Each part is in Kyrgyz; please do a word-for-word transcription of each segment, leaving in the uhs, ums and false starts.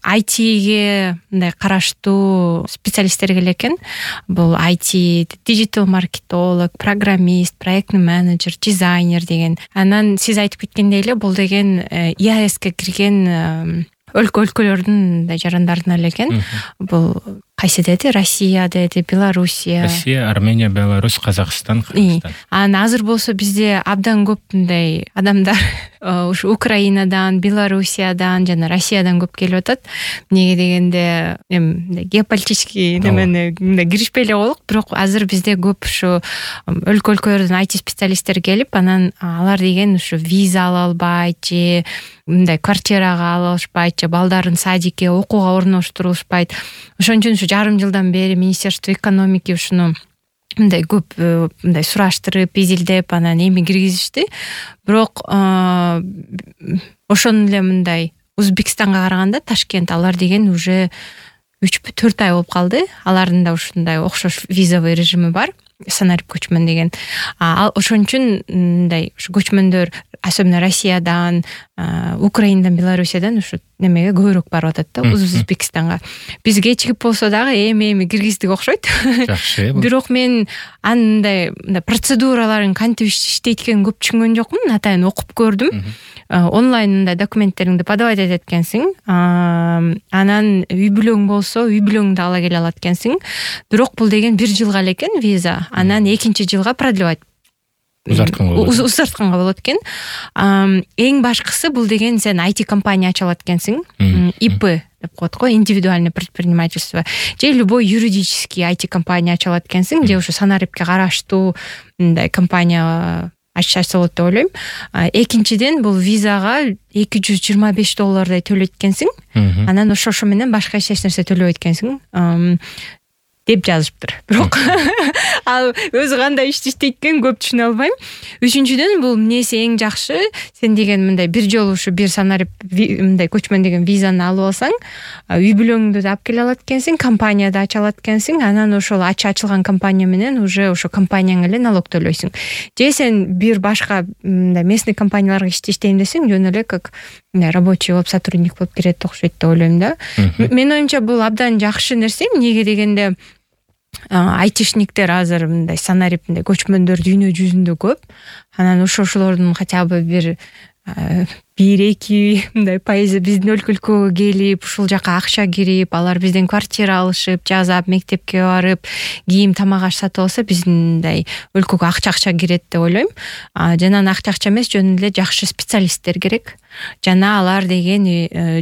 ай тиге мындай караштуу специалисттер келет экен. Бул ай ти, digital маркетолог, программист, проектный менеджер, дизайнер деген. Анан сиз айтып кеткендей эле бул деген и эй эске кирген өлкө өлкөлөрдүн жарандарынан эле экен. Бул кайсы деди? Россия деди, Белоруссия. Россия, Армения, Беларусь, Казакстан, Кыргызстан. Анан азыр болсо бизде абдан көп мындай адамдар ушу Украинадан, Белоруссиядан жана Россиядан көп келип атат. Эмнеге дегенде, эми геополитический немени мындай киришпей эле коелук, бирок азыр бизде көп ушу өлкө-өлкөлөрдөн ай ти специалисттер келип, анан алар деген ушу виза ала албайт же мындай квартирага ала алышпайт же балдарын садикке, окууга орноштурулушпайт. Ошон үчүн ушу жарым жылдан бери Министерство экономики ушуну мындай көп мындай сураштырып, изилдеп, анан эми киргизишти. Бирок ошон эле мындай Өзбекстанга караганда Ташкент алар деген уже үч төрт ай болуп калды. Алардын да ушундай окшош визовый режими бар. Санарип көчмөн деген. А ошон үчүн мындай ушу көчмөндөр особенно Россиядан, Украинадан, Белоруссиядан ушу немеге көбүрөөк барып атат да, Өзбекстанга. Биз кечигип болсо дагы эми-эми киргиздик окшойт. Жакшы. Бирок мен андай процедураларын кантип иштейт экенин көп түшүнгөн жокмун. Атайын окуп көрдүм. Онлайн мындай документтериңди подавать этет экенсиң. Анан үй бүлөң болсо, үй бүлөңдү ала келе алат экенсиң. Бирок бул деген бир жылга эле экен виза. Анан экинчи жылга продлевать узартканга болот экен. Эң башкысы бул деген сен ай ти компания ача алат экенсиң. и пэ деп коет го, индивидуальное предпринимательство. Же любой юридический ай ти компания ача алат экенсиң, же ушу санарипке караштуу мындай компания ачса болот деп ойлойм. Экинчиден бул визага эки жүз жыйырма беш доллардай төлөйт экенсиң. Анан ошо ошо менен башка эч нерсе төлөбөйт экенсиң деп жазышыптыр. Бирок ал өзү кандай ишти иштейт экен көп түшүнө албайм. Үчүнчүдөн бул эмнеси эң жакшы, сен деген мындай бир жолу ушу бир санарип мындай көчмөн деген визаны алып алсаң, үй бүлөңдү да алып келе алат экенсиң, компания да ача алат экенсиң, анан ошол ача ачылган компания менен уже ошо компанияң эле налог төлөйсүң. Же сен бир башка мындай местный компанияларга ишти иштейм десең, жөн эле как рабочий болуп, сотрудник болуп кирет окшойт деп ойлойм да. Менин оюмча бул абдан жакшы нерсе. Эмнеге дегенде айтишниктер азыр мындай санарип мындай көчмөндөр дүйнө жүзүндө көп. Анан ошо-ошолордун хотя бы бир бир эки мындай пайызы биздин өлкөлүккө келип, ушул жака акча кирип, алар бизден квартира алышып, жазап, мектепке барып, кийим, тамак аш сатып алса, биздин мындай өлкөгө акча-акча кирет деп ойлойм. Жана акча-акча эмес, жөн эле жакшы специалисттер керек. Жана алар деген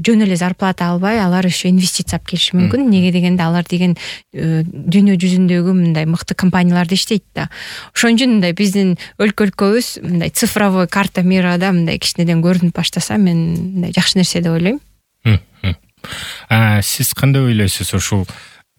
жөн эле зарплата албай, алар еще инвестиция алып келиши мүмкүн. Неге дегенде алар деген дүйнө жүзүндөгү мындай мыкты компанияларда иштейт да. Ошон үчүн мындай биздин өлкөлүккөбүз мындай цифровой карта мирада мындай кичинеден көрүнүп баштаса, мен мындай жакшы нерсе деп ойлойм. А сиз кандай ойлойсуз? Ушул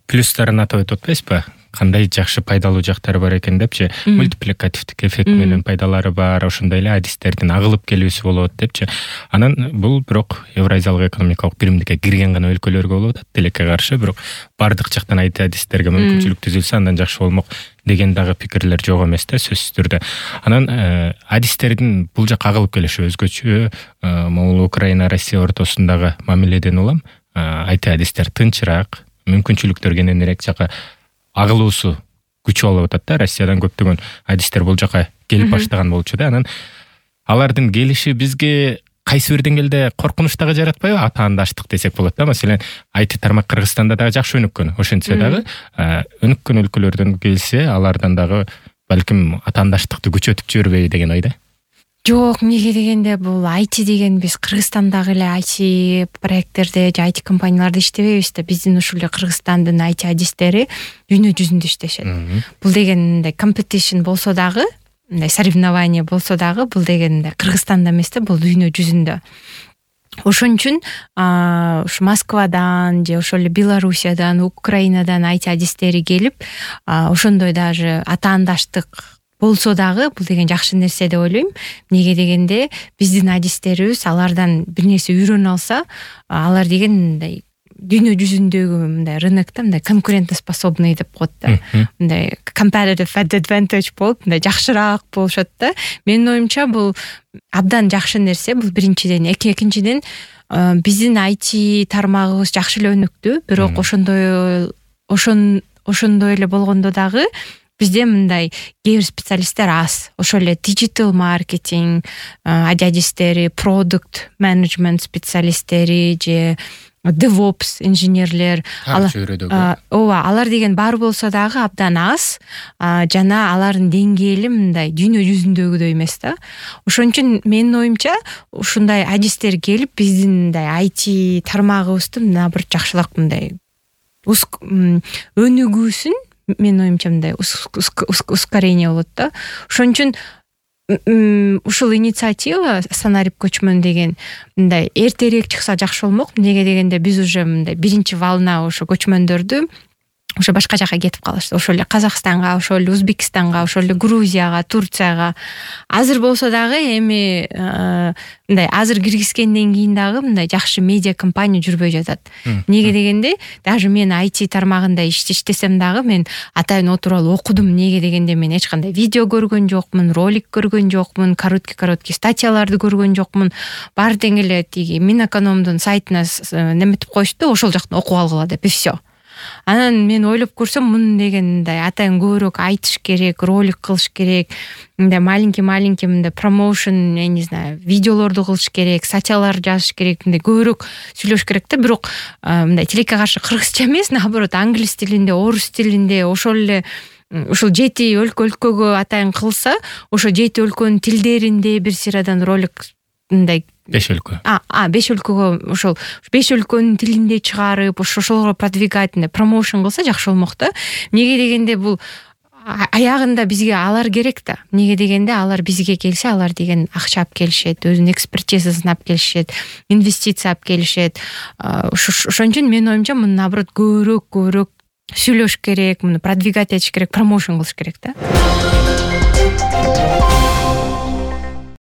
плюстарын атап өтүп атпайсызбы? Кандай жакшы пайдалуу жактары бар экен депчи, мультипликативдик эффект менен пайдалары бар, ошондой эле адистердин агылып келүүсү болот депчи. Анан бул бирок Евразиялык экономикалык биримдикке кирген гана өлкөлөргө болот, тилекке каршы, бирок бардык жактан айти адистерге мүмкүнчүлүк түзүлсө андан жакшы болмок деген дагы пикирлер жок эмес да, сөзсүз түрдө. Анан адистердин бул жакка агылып келиши өзгөчө. Могул Украина, Россия ортосундагы мамиледен улам айти адистер тынчыраак, мүмкүнчүлүктөр кененирээк жака агылуусу күчү болуп атат да. Россиядан көптөгөн адистер бул жака келип баштаган болчу да. Анан алардын келиши бизге кайсы бир деңгээлде коркунуч дагы жаратпайбы? Атаандаштык десек болот да. Маселен, айти тармак Кыргызстанда дагы жакшы өнүккөн. Ошентсе дагы өнүккөн өлкөлөрдөн келсе, алардан дагы балким атаандаштыкты күчөтүп жибербейби деген ойда. Жок, эмнеге дегенде бул айти деген биз Кыргызстандагы эле айти проекттерде же айти компанияларда иштебейбиз да. Биздин ушул эле Кыргызстандын айти адистери дүйнө жүзүндө иштешет. Бул деген мындай competition болсо дагы, мындай соревнование болсо дагы, бул деген Кыргызстанда эмес да, бул дүйнө жүзүндө. Ошон үчүн ушу Москвадан же ошол эле Белоруссиядан, Украинадан айти адистери келип, ошондой даже атаандаштык болсо дагы бул деген жакшы нерсе деп ойлойм. Эмнеге дегенде биздин адистерибиз алардан бир нерсе үйрөнө алса, алар деген мындай дүйнө жүзүндөгү мындай рынокто мындай конкурентоспособный деп коет да. Мындай competitive advantage болуп, мындай жакшыраак болушат да. Менин оюмча бул абдан жакшы нерсе. Бул биринчиден, экинчиден биздин ай ти тармагыбыз жакшы эле өнүктү, бирок ошондой ошон ошондой эле болгондо дагы бизде мындай кээ бир специалисттер аз. Ошол эле digital маркетинг адистери, продукт менеджмент специалисттери же DevOps инженерлер, ооба, алар деген бар болсо дагы абдан аз, жана алардын деңгээли мындай дүйнө жүзүндөгүдөй эмес да. Ошон үчүн менин оюмча ушундай адистер келип биздин мындай ай ти тармагыбызды наоборот жакшыраак мындай өнүгүүсүн, менин оюмча мындай ускорение болот да. Ошон үчүн ушул инициатива Санарип көчмөн деген мындай эртерээк чыкса жакшы болмок. Эмнеге дегенде биз уже мындай биринчи волна ошо көчмөндөрдү ошо башка жака кетип калышты. Ошол эле Казакстанга, ошол эле Өзбекстанга, ошол эле Грузияга, Турцияга. Азыр болсо дагы эми мындай азыр киргизгенден кийин дагы мындай жакшы медиа компания жүрбөй жатат. Эмнеге дегенде даже мен ай ти тармагында иштесем дагы мен атайын отуруп алып окудум. Эмнеге дегенде мен эч кандай видео көргөн жокмун, ролик көргөн жокмун, короткий короткий статьяларды көргөн жокмун. Баары тең эле тиги Минэкономдун сайтына неметип коюшту, ошол жактан окуп алгыла деп, и все. Анан мен ойлоп көрсөм, муну дегендай атайын көбүрөөк айтыш керек, ролик кылыш керек, мындай маленький-маленький мындай промоушен, я не знаю, видеолорду кылыш керек, статьялар жазыш керек, мындай көбүрөөк сүйлөш керек да. Бирок мындай тилекке каршы кыргызча эмес, наоборот, англис тилинде, орус тилинде, ошол эле ушул жети өлкө өлкөгө атайын кылса, ошо жети өлкөнүн тилдеринде бир сырадан ролик мындай беш өлкө. А, а беш өлкөгө ошол беш өлкөнүн тилинде чыгарып, ошолго продвигать, промоушен кылса жакшы болмок да. Эмнеге дегенде бул аягында бизге алар керек да. Эмнеге дегенде алар бизге келсе, алар деген акча алып келишет, өзүнүн экспертизасын алып келишет, инвестиция алып келишет. Ошон үчүн менин оюмча муну наоборот көбүрөөк көбүрөөк сүйлөш керек, муну продвигать этиш керек, промоушен кылыш керек да.